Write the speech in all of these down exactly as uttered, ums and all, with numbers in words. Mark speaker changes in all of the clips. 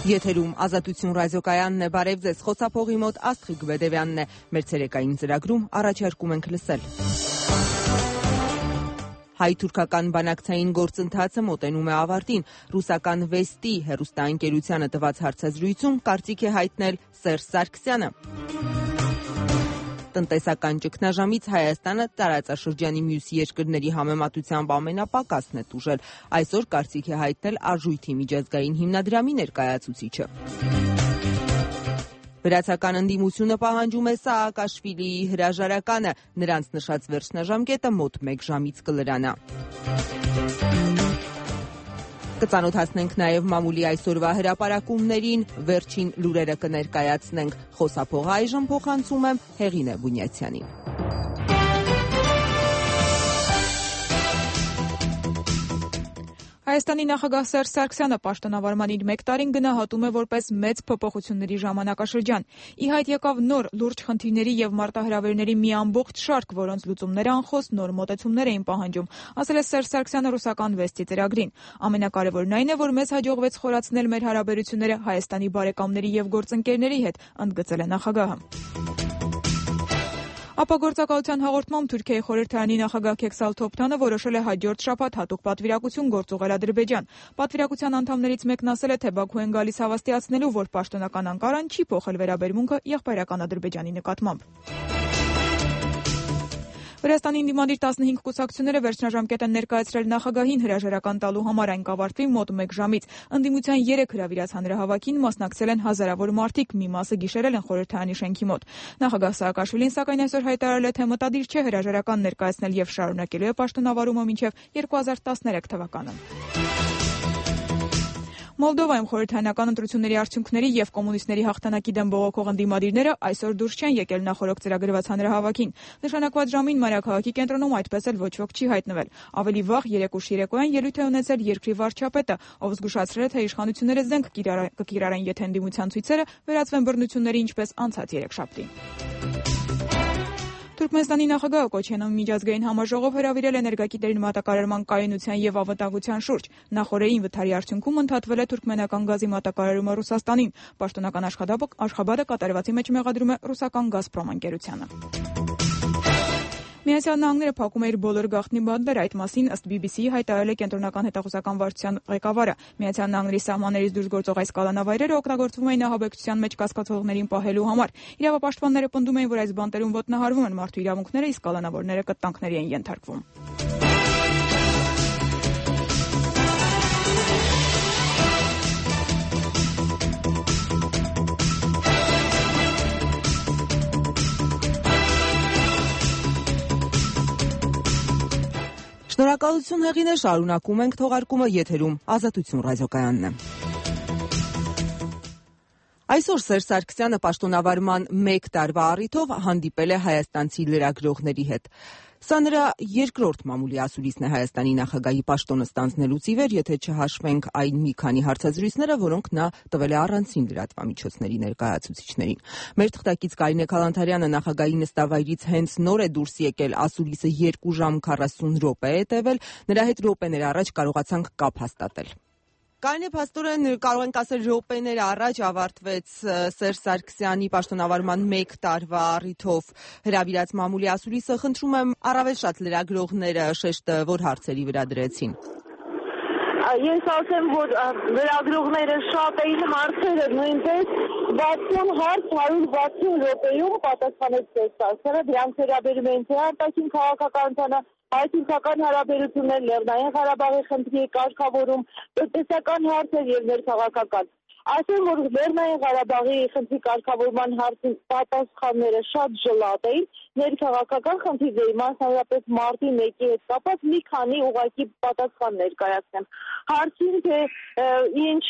Speaker 1: Եթերում Ազատություն ռադիոկայանն է, բարև ձեզ, խոսափողի մոտ Աստղիկ Բեդևյանն է, մեր ցերեկային ծրագրում առաջարկում ենք լսել։ Հայ-թուրքական բանակցային գործընթացը մոտենում է ավարտին, ռուսական Վեստի հեռուստաընկերությանը տված հարցազրույցում կարծիք է հայտնել Սերժ Սարգսյանը։ Տնտեսական ճգնաժամից Հայաստանը տարածաշրջանի մյուս երկրների համեմատությամբ ամենապակասն է տուժել, այսօր կարծիք է հայտնել Արժույթի միջազգային հիմնադրամի ներկայացուցիչը։ Վրացական ընդդիմությունը պահանջում է Սաակաշվիլիի հրաժարականը, նրանց նշած վերջնաժամկետը մոտ մեկ ժամից կլրանա։ Կծանոթացնենք նաև մամուլի այսօրվա հրապարակումներին, վերջին լուրերը կներկայացնենք, խոսափողը այժմ փոխանցում եմ Հեղինե Բունյացյանին։
Speaker 2: Հայաստանի նախագահ Սերժ Սարգսյանը պաշտոնավարման իր մեկ տարին գնահատում է որպես մեծ փոփոխությունների ժամանակաշրջան։ Ի հայտ եկավ նոր լուրջ խնդիրների եւ մարտահրավերների մի ամբողջ շարք, որոնց լուծումները անխոս նոր մոտեցումներ էին պահանջում, ասել է Սերժ Սարգսյանը ռուսական Վեստի ծրագրին։ Ամենակարևորն այն է, որ մեզ հաջողվեց խորացնել մեր հարաբերությունները Հայաստանի բարեկամների եւ գործընկերների հետ, ընդգծել է նախագահը։ Ապագործակալության հաղորդմամբ Թուրքիայի խորհրդարանի նախագահ Քեքսալ Թոփթանը որոշել է հաջորդ շաբաթ հատուկ պատվիրակություն գործուղել Ադրբեջան։ Պատվիրակության անդամներից մեկն ասել է, թե Բաքու են գալիս հավաստիացնելու, որ պաշտոնական Անկարան չի փոխել վերաբերմունքը եղբայրական Ադրբեջանի նկատմամբ։ Վրաստանի ընդդիմադիր տասնհինգ կուսակցությունները վերջնաժամկետ են ներկայացրել նախագահին հրաժարական տալու համար, այն կավարտվի մոտ մեկ ժամից։ Ընդդիմության երեք հրավիրած հանրահավաքին մասնակցել են հազարավոր մարդիկ, մի մասը գիշերել են խորհրդարանի շենքի մոտ։ Նախագահ Սաակաշվիլին սակայն այսօր հայտարարել է, թե մտադիր չէ հրաժարական ներկայացնել եւ շարունակելու է պաշտոնավարումը մինչեւ երկու հազար տասներեք թվականը։ Մոլդովայում խորհրդարանական ընտրությունների արդյունքների եւ կոմունիստների հաղթանակի դեմ բողոքող ընդդիմադիրները այսօր դուրս չեն եկել նախորդ ծրագրված հանրահավաքին։ Նշանակված ժամին Մարիաքաղաքի կենտրոնում այդպես էլ ոչ ոք չի հայտնվել։ Ավելի վաղ երեք ուշ երեկոյան ելույթ է ունեցել երկրի վարչապետը, ով զգուշացրել է, թե իշխանությունները զենք կկիրառեն, եթե ընդդիմության ցույցերը վերածվեն բռնությունների, ինչպես անցած երեքշաբթի։ Թուրքմենստանի նախագահը Կոչյանում միջազգային համաժողով հրավիրել է ներգաղթերին մատակարարման կայունության եւ անվտանգության շուրջ։ Նախորդին վթարի արդյունքում ընդհատվել է թուրքմենական գազի մատակարարումը Ռուսաստանին։ Պաշտոնական աշխատաբադը կատարվածի մեջ մեղադրում է ռուսական Գազպրոմ ընկերությանը։ Միացյալ Նահանգները փակում է իր բոլոր գաղտնի բանտերը, այդ մասին ըստ բի բի սի-ի հայտարարել է կենտրոնական հետախուզական վարչության ղեկավարը։ Միացյալ Նահանգների սահմաններից դուրս գործող այս կալանավայրերը օգտագործվում էին ահաբեկչության մեջ կասկածողներին պահելու համար։ Իրավապաշտպանները պնդում էին, որ այս բանտերում ոտնահարվում են մարդու իրավունքները, իսկ կալանավորները կտանքների են ենթարկվում։
Speaker 1: Շնորհակալություն Հեղինե, շարունակում ենք թողարկումը, եթերում Ազատություն ռադիոկայանն է։ Այսօր Սերժ Սարգսյանը պաշտոնավարման մեկ տարվա առիթով հանդիպել է հայաստանցի լրագրողների հետ։ Սա նրա երկրորդ մամուլի ասուլիսն է Հայաստանի նախագահի պաշտոնը ստանձնելուց ի վեր, եթե չհաշվենք այն մի քանի հարցազրույցները, որոնք նա տվել է առանցին լրատվամիջոցների ներկայացուցիչներին։ Մեր թղթակից Կարինե Քալանթարյանը նախագահի նստավայրից հենց նոր է դուրս եկել, ասուլիսը երկու ժամ քառասուն րոպե է տևել, նրա հետ րոպեներ առաջ կարողացանք կապ հաստատել։ Կարինե, փաստորեն կարող ենք ասել րոպեներ առաջ ավարտվեց Սերժ Սարգսյանի պաշտոնավարման մեկ տարվա առիթով հրավիրած մամուլի ասուլիսը։ Խնդրում եմ, առավել շատ լրագրողները շեշտը որ հարցերի վրա դրեցին։
Speaker 3: Ես ասեմ, որ լրագրողները շատ էին, հարցերը նույնպես վաթսուն հարց հարյուր վաթսուն րոպեում պատասխանեց Սերժ Սարգսյանը, դրանց վերաբերում են թե արտաքին քաղաքականությանը, հայ-թուրքական հարաբերություններ, Լեռնային Ղարաբաղի խնդրի կարգավորում, տնտեսական հարցեր եւ ներքաղաքական։ Ասեմ, որ Լեռնային Ղարաբաղի խնդրի կարգավորման հարցի պատասխանները շատ ժլատ էին, ներքաղաքական խնդիրների, մասնավորապես մարտի մեկի հետ կապված մի քանի ուղղակի պատասխան ներկայացնեմ։ Հարցին, թե ինչ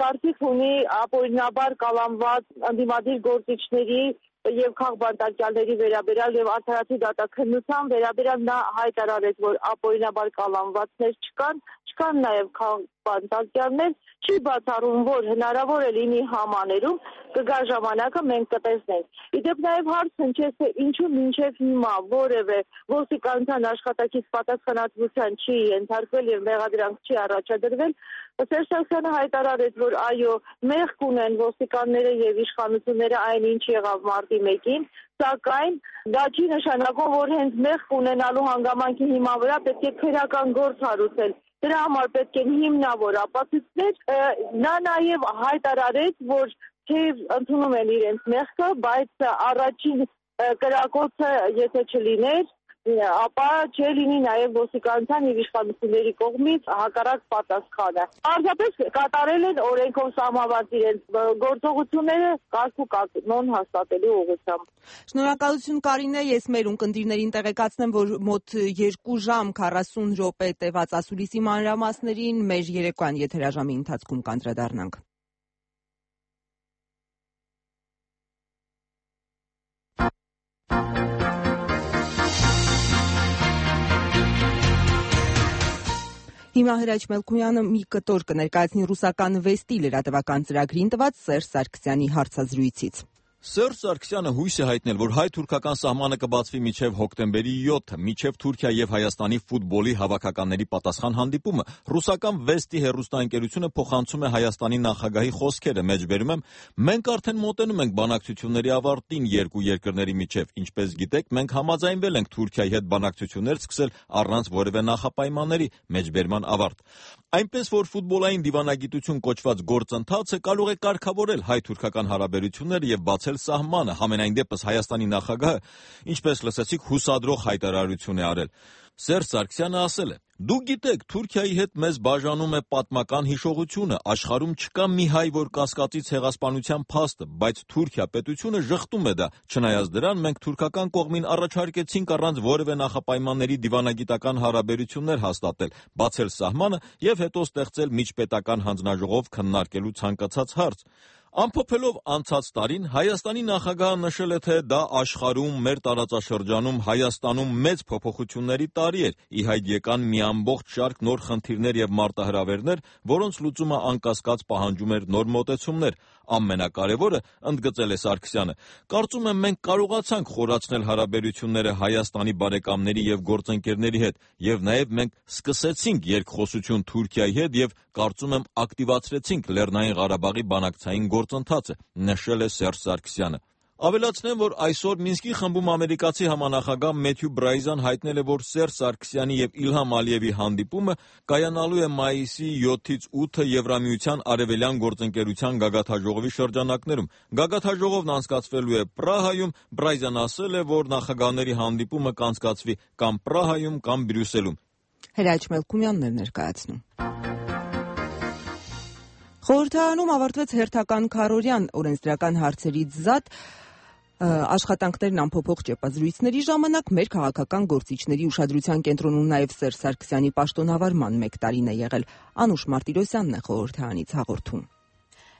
Speaker 3: կարծիք ունի ապօրինաբար կալանված ընդդիմադիր գործիչների եւ քաղբանտարկյալների վերաբերյալ եւ արդարացի դատաքննության վերաբերյալ նա հայտարարեց, որ ապօրինաբար կալանվածներ չկան, չկան նաեւ քաղբանտարկյալներ, չի բացառում, որ հնարավոր է լինի համաներում կգա ժամանակը մենք կտեսնենք։ Իդեպ նաեւ հարց հնչեց, թե ինչու մինչեւ հիմա որևէ ոստիկանության աշխատակից պատասխանատվության չի ենթարկվել եւ մեղադրանք չի առաջադրվել։ Սերժ Սարգսյանը հայտարարեց, որ այո, մեղք ունեն ոստիկանները եւ իշխանությունները այն ինչ եղավ մարտի մեկին, սակայն դա չի նշանակում, որ հենց մեղք ունենալու հանգամանքի հիման վրա պետք է քրեական գործ հարուցել։ Դրա համար պետք են հիմնավոր ապացույցներ։ Նա նաեւ հայտարարեց, որ թեև ընդունում են իրենց մեղքը, բայց առաջին կրակոցը եթե չլիներ, ապա չլինի նաև ոստիկանության եւ իշխանությունների կողմից հակառակ պատասխանը։ Պարզապես կատարել են օրենքով սահմանված իրենց գործողությունները կարգ ու կանոն հաստատելու ուղղությամբ։
Speaker 1: Շնորհակալություն Կարինե, ես մեր ունկնդիրներին տեղեկացնեմ, որ մոտ երկու ժամ քառասուն րոպե տևած ասուլիսի մանրամասներին մեր երեկոյան եթերաժամի ընթացքում կանդրադառնանք։ Հիմա Հրաչ Մելքոյանը մի կտոր կներկայացնի ռուսական Վեստի լրատվական ծրագրին տված Սերժ Սարգսյանի հարցազրույցից։
Speaker 4: Սերժ Սարգսյանը հույս է հայտնել, որ հայ-թուրքական սահմանը կբացվի մինչև հոկտեմբերի յոթը, մինչև Թուրքիա եւ Հայաստանի ֆուտբոլի հավաքականների պատասխան հանդիպումը։ Ռուսական Վեստի հեռուստաընկերությունը փոխանցում է Հայաստանի նախագահի խոսքերը, մեջբերում եմ. մենք արդեն մոտենում ենք բանակցությունների ավարտին երկու երկրների միջև, ինչպես գիտեք, մենք համաձայնվել ենք Թուրքիայի հետ բանակցություններ սկսել առանց որևէ նախապայմանների, մեջբերման ավարտ։ Այնպես որ ֆուտբոլային դիվանագիտություն կոչված գործընթացը կարող է կարգավորել հայ-թուրքական հարաբերությունները եւ բացել սահմանը, համենայն դեպս Հայաստանի նախագահը, ինչպես լսեցիք, հուսադրող հայտարարություն է արել։ Սերժ Սարգսյանը ասել է. դուք գիտեք, Թուրքիայի հետ մեզ բաժանում է պատմական հիշողությունը, աշխարհում չկա մի հայ, որ կասկածի ցեղասպանության փաստը, բայց Թուրքիա պետությունը ժխտում է դա, չնայած դրան մենք թուրքական կողմին առաջարկեցինք առանց որևէ նախապայմանների դիվանագիտական հարաբերություններ հաստատել, բացել սահմանը եւ հետո ստեղծել միջպետական հանձնաժողով քննարկելու ցանկացած հարց։ Ամփոփելով անցած տարին, Հայաստանի նախագահը նշել է, թե դա աշխարհում, մեր տարածաշրջանում, Հայաստանում մեծ փոփոխությունների տարի էր, ի հայտ եկան մի ամբողջ շարք նոր խնդիրներ եւ մարտահրավերներ, որոնց լուծումը անկասկած պահանջում էր նոր մոտեցումներ։ Ամենակարևորը, ընդգծել է Սարգսյանը, կարծում եմ մենք կարողացանք խորացնել հարաբերությունները Հայաստանի բարեկամների եւ գործընկերների հետ, եւ նաեւ մենք սկսեցինք երկխոսություն Թուրքիայի հետ եւ կարծում եմ ակտիվացրեցինք Լեռնային Ղարաբաղի բանակցային գործընթացը, նշել է Սերժ Սարգսյանը։ Ավելացնեմ, որ այսօր Մինսկի խմբում ամերիկացի համանախագահ Մեթյու Բրայզան հայտնել է, որ Սերժ Սարգսյանի եւ Իլհամ Ալիևի հանդիպումը կայանալու է մայիսի յոթից ութը Եվրամիության արևելյան գործընկերության գագաթաժողովի շրջանակներում։ Գագաթաժողովն անցկացվելու է Պրահայում, Բրայզան ասել է, որ նախագահների հանդիպումը կանցկացվի կամ Պրահայում, կամ Բրյուսելում։
Speaker 1: Հրաչ Մելքոյանն էր ներկայացնում։ Խորհրդարանում ավարտվեց հերթական քառօրյան օրենսդրական հարցերից զատ աշխատանքներն ամփոփող ճեպազրույցների ժամանակ մեր քաղաքական գործիչների ուշադրության կենտրոնում նաև Սերժ Սարգսյանի պաշտոնավարման մեկ տարին է եղել։ Անուշ Մարտիրոսյանն է խորհրդարանից հաղորդում։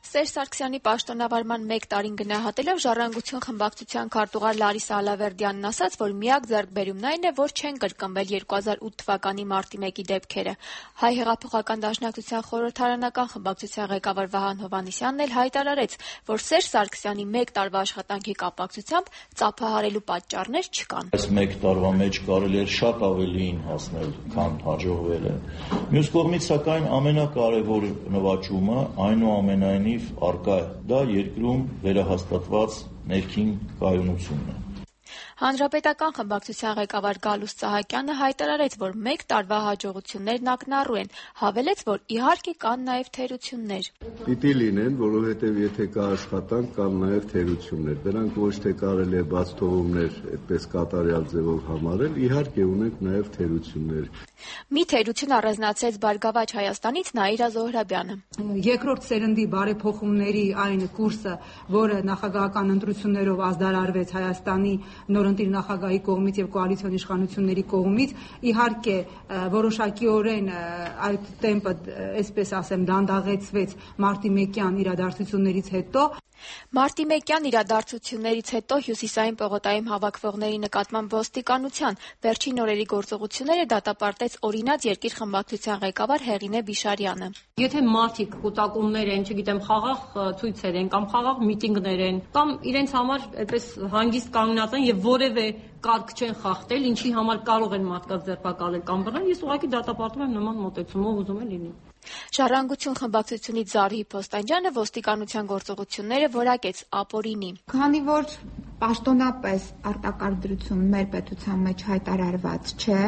Speaker 5: Սերժ Սարգսյանի պաշտոնավարման մեկ տարին գնահատելով Ժառանգություն խմբակցության քարտուղար Լարիսա Ալավերդյանն ասաց, որ միակ ձեռքբերումն այն է, որ չեն կրկնվել երկու հազար ութ թվականի մարտի մեկի դեպքերը։ Հայ հեղափոխական դաշնակցության խորհրդարանական խմբակցության ղեկավար Վահան Հովհաննիսյանն էլ հայտարարեց, որ Սերժ Սարգսյանի մեկ տարվա աշխատանքի կապակցությամբ ծափահարելու պատճառներ չկան։
Speaker 6: Այս մեկ տարվա մեջ կարելի էր շատ ավելին հասնել, քան հաջողվել է։ Մյուս կողմից, սակայն, ամենակարևոր նվաճումը այնուամենայնիվ արկա է, դա երկրում վերահաստատված ներքին կայունությունն է։
Speaker 5: Հանրապետական խմբակցության ղեկավար Գալուստ Սահակյանը հայտարարեց, որ մեկ տարվա հաջողություններն ակնառու են, հավելեց, որ իհարկե կան նաև թերություններ։
Speaker 7: Պիտի լինեն, որովհետև եթե կա աշխատանք, կան նաև թերություններ։ Դրանք ոչ թե կարելի է բաց թողումներ այդպես կատարյալ ձևով համարել, իհարկե ունենք նաև թերություններ։
Speaker 5: Մի թերություն առանձնացրեց Բարգավաճ Հայաստանից Նաիրա Զոհրաբյանը։
Speaker 8: Երկրորդ սերնդի բարեփոխումների այն կուրսը, որը նախագահական ընտրություններով ազդարարվեց Հայաստանի նորընտիր նախագահի կողմից եւ կոալիցիոն իշխանությունների կողմից, իհարկե որոշակիորեն այդ տեմպը, այսպես ասեմ, դանդաղեցվեց մարտի մեկյան իրադարձություններից հետո։
Speaker 5: Մարտի մեկյան իրադարձություններից հետո Հյուսիսային պողոտայում հավաքվողների նկատմամբ ոստիկանության վերջին օրերի գործողությունները դատապարտեց օրինաց երկիր խմբակցության ղեկավար Հեղինե Բիշարյանը։
Speaker 9: Եթե մարդիկ կուտակումներ են, չգիտեմ, խաղաղ ցույցեր են կամ խաղաղ միտինգներ են, կամ իրենց համար այդպես հանգիստ կանգնած են եւ որևէ կարգ չեն խախտել, ինչի համար կարող են մարդկանց ձերբակալել կամ բռնել, ես ուղղակի դատապարտում եմ նման մոտեցումով, ուզում եմ լինի։
Speaker 5: Ժառանգություն խմբակցությունից Զարհի Փոստանջյանը ոստիկանության գործողությունները որակեց ապօրինի։
Speaker 10: Քանի որ պաշտոնապես արտակարգ դրություն մեր պետության մեջ հայտարարված չէ,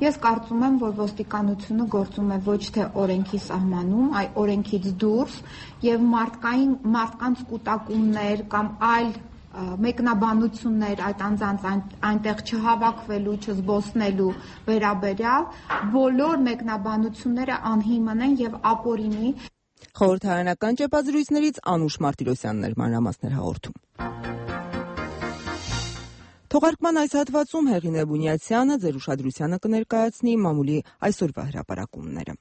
Speaker 10: ես կարծում եմ, որ ոստիկանությունը գործում է ոչ թե օրենքի սահմանում, այլ օրենքից դուրս եւ մարդկային մարդկանց կուտակումներ կամ այլ մեկնաբանություններ այդ անձանց այնտեղ չհավաքվելու, չզբոսնելու վերաբերյալ բոլոր մեկնաբանությունները անհիմն են եւ ապօրինի։
Speaker 1: Խորհրդարանական ճեպազրույցներից Անուշ Մարտիրոսյանն էր մանրամասներ հաղորդում։ Թողարկման այս հատվածում Հեղինե Բունյացյանը ձեր ուշադրությանը կներկայացնի մամուլի այսօրվա հրապարակումները։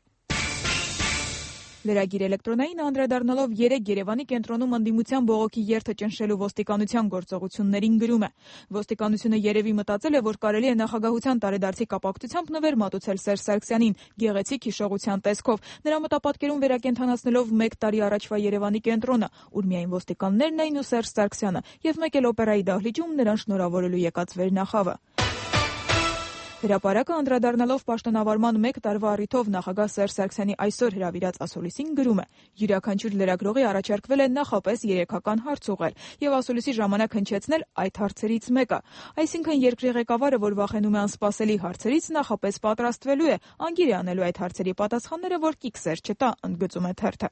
Speaker 2: Լրագիր էլեկտրոնային անդրադառնալով երեկ Երևանի կենտրոնում ընդդիմության բողոքի երթը ճնշելու ոստիկանության գործողություններին գրում է. Ոստիկանությունը երևի մտածել է, որ կարելի է նախագահության տարեդարձի կապակցությամբ նվեր մատուցել Սերժ Սարգսյանին գեղեցիկ հիշողության տեսքով, նրա մտապատկերում վերակենդանացնելով մեկ տարի առաջվա Երևանի կենտրոնը, ուր միայն ոստիկաններն էին ու Սերժ Սարգսյանը, եւ մեկ էլ օպերայի դահլիճում նրան շնորհավորելու եկած վերնախավը։ Հրապարակը անդրադառնալով պաշտոնավարման մեկ տարվա առիթով նախագահ Սերժ Սարգսյանի այսօր հրավիրած ասուլիսին գրում է. յուրաքանչյուր լրագրողի առաջարկվել է նախապես երեքական հարց ուղղել եւ ասուլիսի ժամանակ հնչեցնել այդ հարցերից մեկը, այսինքն երկրի ղեկավարը, որ վախենում է անսպասելի հարցերից, նախապես պատրաստվելու է, անգիր է անելու այդ հարցերի պատասխանները, որ կիքսեր չտա, ընդգծում է թերթը։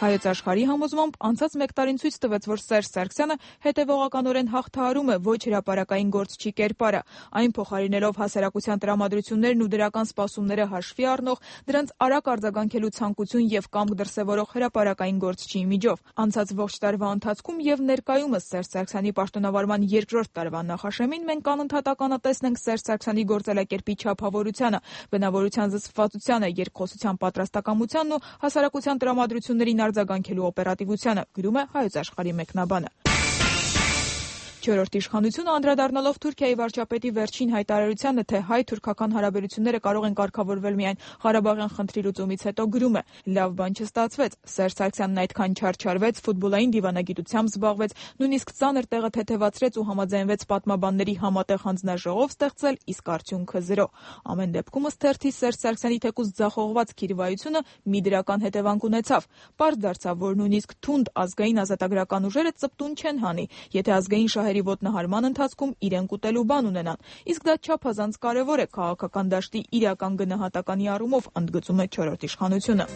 Speaker 2: Հայոց աշխարհի համոզմամբ անցած մեկ տարին ցույց տվեց, որ Սերժ Սարգսյանը հետևողականորեն հաղթահարում է ոչ հրապարակային գործչի կերպարը, այն փոխարինելով հասարակության տրամադրություններն ու դրական սպասումները հաշվի առնող, դրանց արագ արձագանքելու ցանկություն եւ կամք դրսեւորող հրապարակային գործչի միջով։ Անցած ողջ տարվա ընթացքում եւ ներկայումս Սերժ Սարգսյանի պաշտոնավարման երկրորդ տարվա նախաշեմին մենք անընդհատ ականատեսն ենք Սերժ Սարգսյանի գործելակերպի չափավորությանը, բնավորության զսպվածությանը, երկխոսության պատրաստակամությանն ու հասարակության տրամադրություններին արձագանքելու օպերատիվությանը, գրում է Հայոց աշխարհի մեկնաբանը։ Չորրորդ իշխանությունը անդրադառնալով Թուրքիայի վարչապետի վերջին հայտարարությանը, թե հայ-թուրքական հարաբերությունները կարող են կարգավորվել միայն Ղարաբաղյան խնդրի լուծումից հետո, գրում է. լավ բան չստացվեց, Սերժ Սարգսյանն այդքան չարչարվեց, ֆուտբոլային դիվանագիտությամբ զբաղվեց, նույնիսկ ծանր տեղը թեթևացրեց ու համաձայնվեց պատմաբանների համատեղ հանձնաժողով ստեղծել, իսկ արդյունքը զրո։ Ամեն դեպքում ըստ թերթի Սերժ Սարգսյանի թեկուզ ձախողված քիրվայությունը մի դրական հետևանք ունեցավ։ Պարզ դարձավ, որ նույնիսկ թունդ ազգային ազատագրական ուժերը ծպտուն չեն հանի, եթե ազգային շահերի ոտնահարման ընթացքում իրեն կուտելու բան ունենան, իսկ դա չափազանց կարևոր է քաղաքական դաշտի իրական գնահատականի առումով, ընդգծում է չորրորդ իշխանությունը։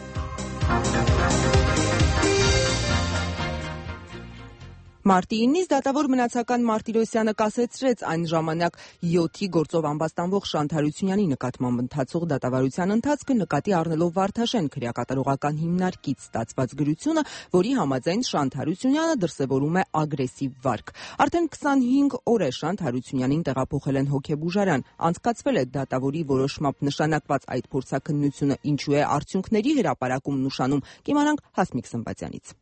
Speaker 1: Մարտի իննից դատավոր մնացական Մարտիրոսյանը կասեցրեց այն ժամանակ յոթի գործով ամբաստանվող Շանթ Հարությունյանի նկատմամբ ընթացող դատավարության ընթացքը նկատի առնելով Վարդաշեն քրեակատարողական հիմնարկից ստացված գրությունը, որի համաձայն Շանթ Հարությունյանը դրսևորում է ագրեսիվ վարք։ Արդեն քսանհինգ օր է Շանթ Հարությունյանին տեղափոխել են հոգեբուժարան։ Անցկացվել է դատավորի որոշմամբ նշանակված այդ փորձաքննությունը, ինչու է արդյունքների հրապարակումն ուշանում, կիմանանք Հասմիկ Սմբատյանից։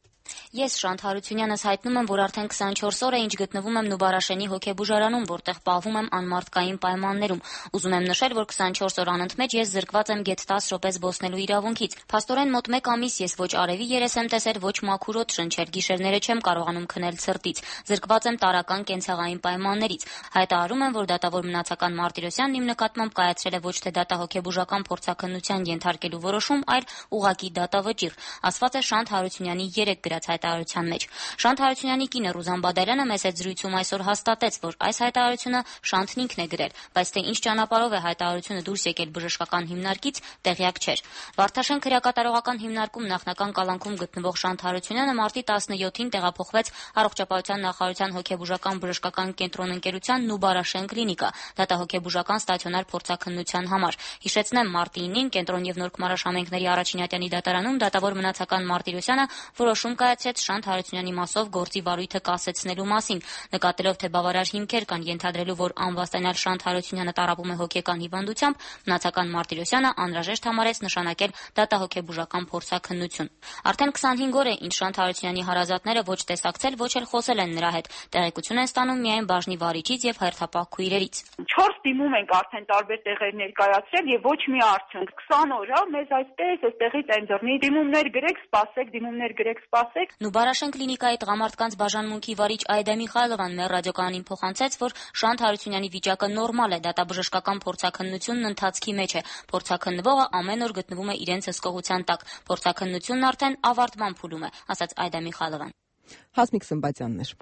Speaker 11: Ես Շանթ Հարությունյանս հայտնում եմ, որ արդեն քսանչորս օր է, ինչ գտնվում եմ Նուբարաշենի հոգեբուժարանում, որտեղ պահվում եմ անմարդկային պայմաններում։ Ուզում եմ նշել, որ քսանչորս օր անընդմեջ ես զրկված եմ գեթ տասը րոպե զբոսնելու իրավունքից։ Փաստորեն մոտ մեկ ամիս ես ոչ արևի երես եմ տեսել, ոչ մաքուր օդ շնչել, գիշերները չեմ կարողանում քնել ցրտից։ Զրկված եմ տարրական կենցաղային պայմաններից։ Հայտարարում եմ, որ դատավոր մնացական Մարտիրոսյանն իմ նկատմամբ կայացրել է ոչ թե դատահոգեբուժական փորձաքննության ենթարկելու որոշում, այլ ուղղակի դատավճիռ, ասված է Շանթ Հարությունյանի երեք գրած հայտարարության մեջ։ Շանթ Հարությունյանի կինը Ռուզան Բադալյանը մեծ այդ զրույցում այսօր հաստատեց, որ այս հայտարարությունը Շանթն ինքն է գրել, բայց թե ինչ ճանապարհով է հայտարարությունը դուրս եկել բժշկական հիմնարկից, տեղյակ չէր։ Վարդաշեն քրեակատարողական հիմնարկում նախնական կալանքում գտնվող Շանթ Հարությունյանը մարտի տասնյոթին տեղափոխվեց Առողջապահության նախարարության հոգեբուժական բժշկական կենտրոն ընկերության Նուբարաշեն կլինիկա, դատահոգեբուժական ստացիոնար փորձաքննության համար։ Հիշեցնեմ, մարտի ինին կենտրոն եւ Նոր Քմարաշ համայնքների առաջին ատյանի դատարանում դատավոր մնացական Մարտիրոսյանը որոշում կայացրեց, նշեց Շանթ Հարությունյանի մասով գործի վարույթը կասեցնելու մասին, նկատելով, թե բավարար հիմքեր կան ենթադրելու, որ անվաստանյալ Շանթ Հարությունյանը տառապում է հոգեկան հիվանդությամբ, մնացական Մարտիրոսյանը անհրաժեշտ համարեց նշանակել դատահոգեբուժական փորձաքննություն։ Արդեն քսանհինգ օր է, ինչ Շանթ Հարությունյանի հարազատները ոչ տեսակցել, ոչ էլ խոսել են նրա հետ, տեղեկություն են ստանում միայն բաժնի վարիչից եւ հերթապահ քույրերից։
Speaker 12: Չորս դիմում ենք արդեն տարբեր տեղեր ներկայացրել եւ ոչ մի արդյունք։ քսան օր է, մեզ այսպես այստեղից են դռնի դիմումներ գրեք, սպասեք, դիմումներ գրեք, սպասեք։
Speaker 11: Նուբարաշեն կլինիկայի տղամարդկանց բաժանմունքի վարիչ Այդա Միխայլովան մեր ռադիոկայանին փոխանցեց, որ Շանթ Հարությունյանի վիճակը նորմալ է, դատաբժշկական փորձաքննությունն ընթացքի մեջ է։ Փորձաքննվողը ամեն օր գտնվում է իրենց հսկողության տակ։ Փորձաքննությունն արդեն ավարտման փուլում է, ասաց Այդա Միխայլովան։
Speaker 1: Հասմիկ Սմբատյանն էր։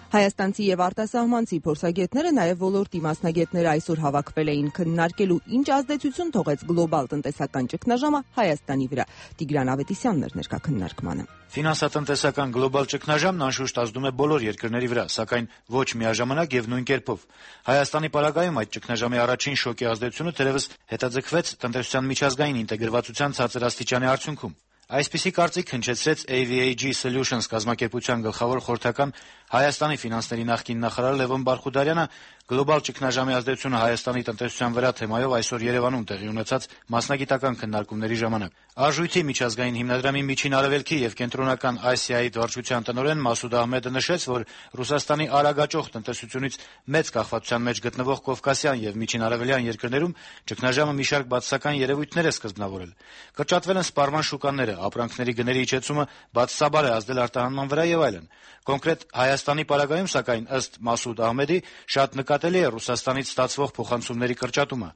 Speaker 1: Հայաստանցի եւ արտասահմանցի փորձագետները, նաեւ ոլորտի մասնագետները այսօր հավաքվել էին քննարկելու ինչ ազդեցություն թողեց գլոբալ տնտեսական ճգնաժամը Հայաստանի վրա։ Տիգրան Ավետիսյանն էր ներկա քննարկմանը։
Speaker 13: Ֆինանսատնտեսական գլոբալ ճգնաժամն անշուշտ ազդում է բոլոր երկրների վրա, սակայն ոչ միաժամանակ եւ նույն կերպով։ Հայաստանի պարագայում այդ ճգնաժամի առաջին շոկի ազդեցությունը թերևս հետաձգվեց տնտեսության միջազգային ինտեգրվածության ցածր աստիճանի արդյունքում։ Այսպիսի կարծիք հնչեցրեց A V A G Solutions կազմակերպության գլխավոր խորհրդական Հայաստանի ֆինանսների նախկին նախարար Լևոն Բարխուդարյանը գլոբալ ճգնաժամի ազդեցությունը Հայաստանի տնտեսության վրա թեմայով այսօր Երևանում տեղի ունեցած մասնագիտական քննարկումների ժամանակ Արժույթի միջազգային հիմնադրամի միջին արևելքի եւ կենտրոնական Ասիայի վարչության տնօրեն Մասուդ Ահմեդը նշեց, որ Ռուսաստանի արագաճոխ տնտեսությունից մեծ կախվածության մեջ գտնվող Կովկասյան եւ միջին արևելյան երկրներում ճգնաժամը մի շարք բացասական երևույթներ է սկզբնավորել։ Կրճատվել են սպառման շուկաները, ապրանքների գների իջեցումը բացասաբար է ազդել արտահանման վրա եւ այլն։ Կոնկրետ Հայաստանի պարագայում, սակայն, ըստ Մասուդ Ահմեդի, շատ նկատելի է Ռուսաստանից ստացվող փոխանցումների կրճատումը։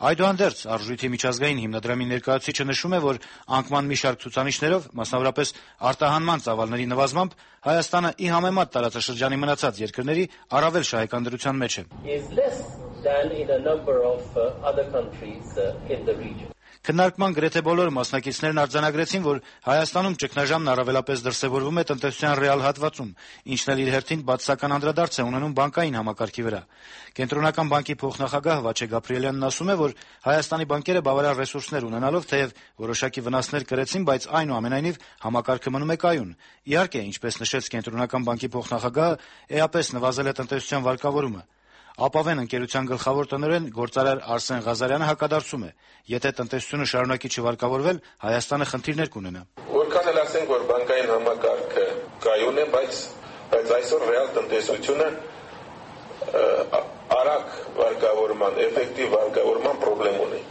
Speaker 13: Այդուհանդերձ Արժույթի միջազգային հիմնադրամի ներկայացուցիչը նշում է, որ անկման մի շարք ցուցանիշներով, մասնավորապես արտահանման ծավալների նվազմամբ, Հայաստանը ի համեմատ տարածաշրջանի մնացած երկրների առավել շահեկան դրության մեջ է։ Քննարկման գրեթե բոլոր մասնակիցներն արձանագրեցին, որ Հայաստանում ճգնաժամն առավելապես դրսևորվում է տնտեսության ռեալ հատվածում, ինչն էլ իր հերթին բացասական անդրադարձ է ունենում բանկային համակարգի վրա։ Կենտրոնական բանկի փոխնախագահ Վաչե Գաբրիելյանն ասում է, որ Հայաստանի բանկերը բավարար ռեսուրսներ ունենալով թեև որոշակի վնասներ կրեցին, բայց այնուամենայնիվ համակարգը մնում է կայուն։ Իհարկե, ինչպես նշեց Կենտրոնական բանկի փոխնախագահը, էապես նվազել է տնտեսության վարկավորումը։ Ապավեն ընկերության գլխավոր տնօրեն գործարար Արսեն Ղազարյանը հակադարձում է. եթե տնտեսությունը շարունակի չվարկավորվել, Հայաստանը խնդիրներ կունենա։
Speaker 14: Որքան էլ ասենք, որ բանկային համակարգը կայուն է, բայց բայց այսօր ռեալ տնտեսությունը արագ վարկավորման, էֆեկտիվ վարկավորման խնդրեմ ունի։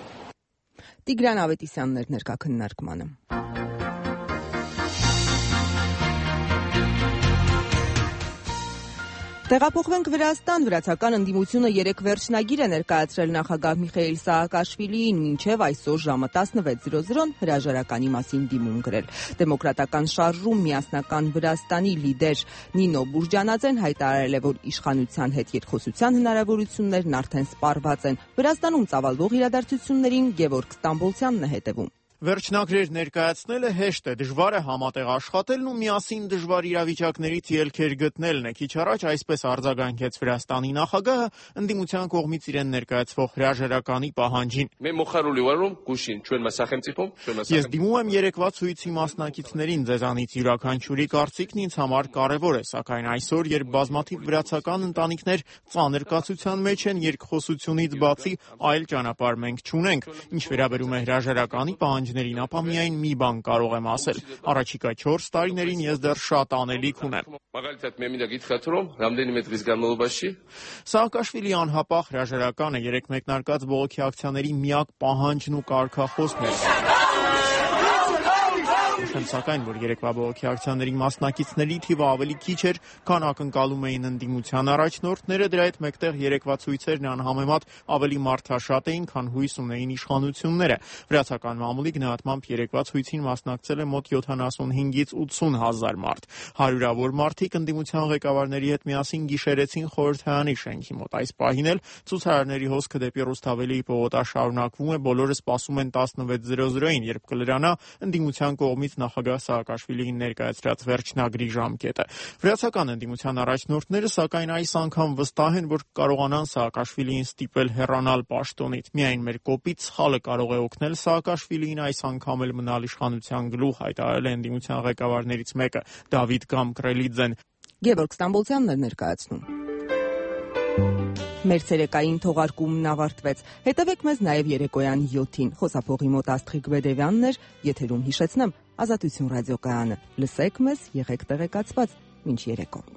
Speaker 1: Տիգրան Ավետիսյանն էր ներկա քննարկմանը։ Տեղափոխվենք Վրաստան։ Վրացական ընդդիմությունը երեք վերջնագիր է ներկայացրել նախագահ Միխայիլ Սաակաշվիլիին, մինչև այսօր ժամը տասնվեց զրո զրոն հրաժարականի մասին դիմում գրել։ Դեմոկրատական շարժում միասնական Վրաստանի լիդեր Նինո Բուրջանաձեն հայտարարել է, որ իշխանության հետ երկխոսության հնարավորություններն արդեն սպառված են։ Վրաստանում ծավալվող իրադարձություններին Գևորգ Ստամբոլցյանն է հետևում։
Speaker 15: Վերջնագրեր ներկայացնելը հեշտ է, դժվար է համատեղ աշխատելն ու միասին դժվար իրավիճակներից ելքեր գտնելն է։ Քիչ առաջ այսպես արձագանքեց Վրաստանի նախագահը ընդդիմության կողմից իրեն ներկայացվող հրաժարականի պահանջին։ Ես դիմում եմ երեկվա ցույցի մասնակիցներին, ձեզանից յուրաքանչյուրի կարծիքն ինձ համար կարևոր է, սակայն այսօր, երբ բազմաթիվ վրացական ընտանիքներ ծանր կացության մեջ են, երկխոսությունից բացի այլ ճանապարհ մենք չունենք։ Ինչ վերաբերում է հրաժարականի պահանջներին, ապա միայն մի բան կարող եմ ասել. առաջիկա չորս տարիներին ես դեռ շատ անելիք ունեմ։ Սաակաշվիլի անհապաղ հրաժարականը երեք մեկնարկած բողոքի ակցիաների միակ պահանջն ու կարգախոսն էր։ Նշեմ սակայն, որ երեկվա բողոքի ակցիաների մասնակիցների թիվը ավելի քիչ էր, քան ակնկալում էին ընդդիմության առաջնորդները, դրա հետ մեկտեղ երեկվա ցույցերն անհամեմատ ավելի մարդաշատ էին, քան հույս ունեին իշխանությունները։ Վրացական մամուլի գնահատմամբ երեկվա ցույցին մասնակցել է մոտ յոթանասունհինգից ութսուն հազար մարդ։ Հարյուրավոր մարդիկ ընդդիմության ղեկավարների հետ միասին գիշերեցին խորհրդարանի շենքի մոտ։ Այս պահին էլ ցուցարարների հոսքը դեպի Ռուսթավելիի պողոտա շարունակվում է, բոլորը սպասում են տասնվեց զրո զրոին, երբ կլրանա ընդդիմության կողմից նախագահ Սաակաշվիլիին ներկայացրած վերջնագրի ժամկետը։ Վրացական ընդդիմության առաջնորդները սակայն այս անգամ վստահ են, որ կարողանան Սաակաշվիլիին ստիպել հեռանալ պաշտոնից։ Միայն մեր կոպիտ սխալը կարող է օգնել Սաակաշվիլիին այս անգամ էլ մնալ իշխանության գլուխ, հայտարարել է ընդդիմության ղեկավարներից մեկը՝ Դավիթ Գամկրելիձեն։
Speaker 1: Գևորգ Ստամբոլցյանն էր ներկայացնում։ Մեր ցերեկային թողարկումն ավարտվեց։ Հետևեք մեզ նաև երեկոյան յոթին։ Խոսափողի մոտ Աստղիկ Բեդևյանն էր, եթերում հիշեցնեմ Ազատություն ռադիոկայանը։ Լսեք մեզ, եղեք տեղեկացված։ Մինչ երեկո։